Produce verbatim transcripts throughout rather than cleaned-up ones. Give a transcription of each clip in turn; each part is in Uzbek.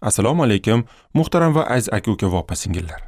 Assalomu alaykum, muhtaram va aziz aka-uka va opa-singillar.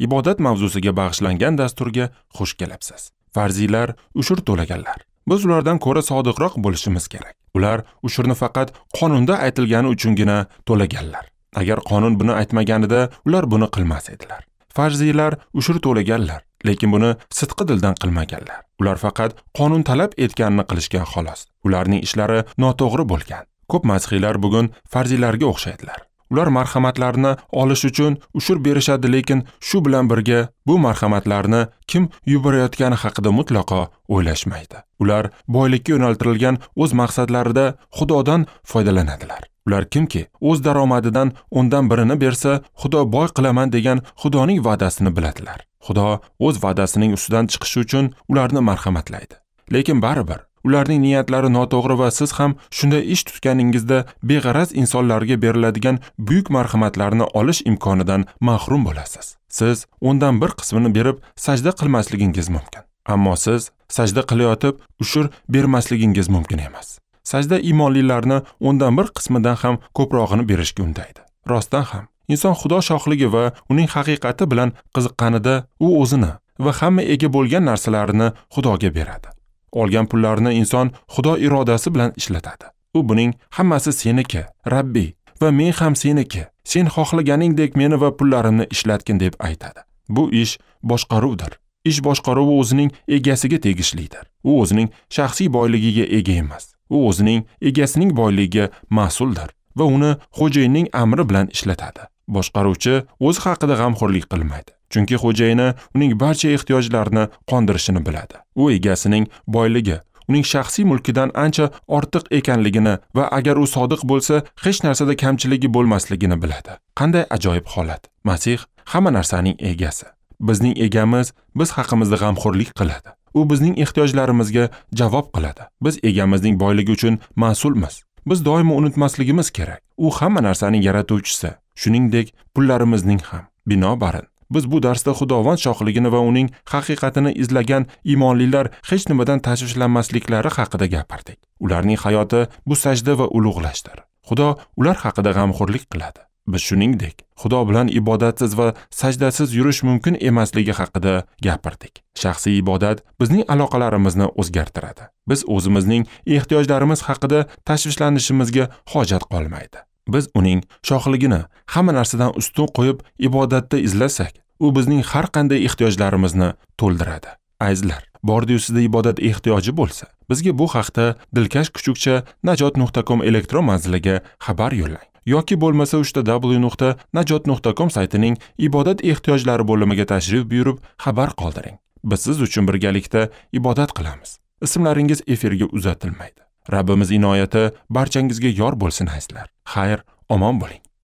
Ibodat mavzusiga bag'ishlangan dasturga xush kelibsiz. Farziylar ushur to'laganlar. Biz ulardan ko'ra sodiqroq bo'lishimiz kerak. Ular ushurni faqat qonunda aytilgani uchungina to'laganlar. Agar qonun buni aytmaganida, ular buni qilmas edilar. Farziylar ushur to'laganlar, lekin buni sidqi dildan qilmaganlar. Ular faqat qonun talab etganini qilishgan xolos. Ularning ishlari noto'g'ri bo'lgan. Ko'p masihiylar bugun farziylarga o'xshaydilar. Ular marhamatlarni olish uchun ushur berishadi, lekin shu bilan birga bu marhamatlarni kim yuborayotgani haqida mutlaqo o'ylashmaydi. Ular boylikka yo'naltirilgan o'z maqsadlarida Xudodan foydalanadilar. Ular kimki o'z daromadidan o'ndan birini bersa, Xudo boy qilaman degan Xudoning va'dasini biladilar. Xudo o'z va'dasining ustidan chiqishi uchun ularni marhamatlaydi. Lekin baribir ularning niyatlari noto'g'ri va siz ham shunday ish tutganingizda beg'araz insonlarga beriladigan buyuk marhamatlarni olish imkonidan mahrum bo'lasiz. Siz o'ndan bir qismini berib sajda qilmasligingiz mumkin. Ammo siz sajda qilayotib ushur bermasligingiz mumkin emas. Sajda iymonlilarni o'ndan bir qismidan ham ko'prog'ini berishga undaydi. Rostdan ham inson Xudo shohligi va uning haqiqati bilan qiziqqanida u o'zini va hamma ega bo'lgan narsalarini Xudoga beradi. Olgan pullarni inson Xudo irodasi bilan ishlatadi. U buning hammasi seniki, Rabbi, va men ham seniki. Sen xohlaganingdek meni va pullarimni ishlatgin deb aytadi. Bu ish boshqaruvdir. Ish boshqaruvi o'zining egasiga tegishlidir. U o'zining shaxsiy boyligiga ega emas. U o'zining egasining boyligiga mas'uldir va uni xo'jayinning amri bilan ishlatadi. Boshqaruvchi o'zi haqida g'amxo'rlik qilmaydi. Chunki xo'jayini uning barcha ehtiyojlarini qondirishini biladi. U egasining boyligi, uning shaxsiy mulkidan ancha ortiq ekanligini va agar u sodiq bo'lsa, hech narsada kamchiligi bo'lmasligini biladi. Qanday ajoyib holat. Masih hamma narsaning egasi. Bizning egamiz biz haqimizda g'amxo'rlik qiladi. U bizning ehtiyojlarimizga javob qiladi. Biz egamizning boyligi uchun mas'ulmiz. Biz doimo unutmasligimiz kerak. U hamma narsaning yaratuvchisi, shuningdek pullarimizning ham. Binobarin, biz bu darsda Xudovand shohligini va uning haqiqatini izlagan iymonlilar hech nimadan tashvishlanmasliklari haqida gapirdik. Ularning hayoti bu sajda va ulug'lashdir. Xudo ular haqida g'amxo'rlik qiladi. Biz shuningdek Xudo bilan ibodatsiz va sajdasiz yurish mumkin emasligi haqida gapirdik. Shaxsiy ibodat bizning aloqalarimizni o'zgartiradi. Biz o'zimizning ehtiyojlarimiz haqida tashvishlanishimizga hojat qolmaydi. Biz uning shohligini hamma narsadan ustun qo'yib ibodatda izlasak, u bizning har qanday ehtiyojlarimizni to'ldiradi. Azizlar, bordi-yu sizda ibodat ehtiyoji bo'lsa, bizga bu haqda dilkash kuchukcha najot nuqta com elektron manziliga xabar yo'llang. Yoki bo'lmasa uchta w nuqta najot nuqta com saytining ibodat ehtiyojlari bo'limiga tashrif buyurib xabar qoldiring. Biz siz uchun birgalikda ibodat qilamiz. Ismlaringiz efirga uzatilmaydi. Rabbimiz inoyati barchangizga yor bo'lsin azizlar. Xayr, omon bo'ling.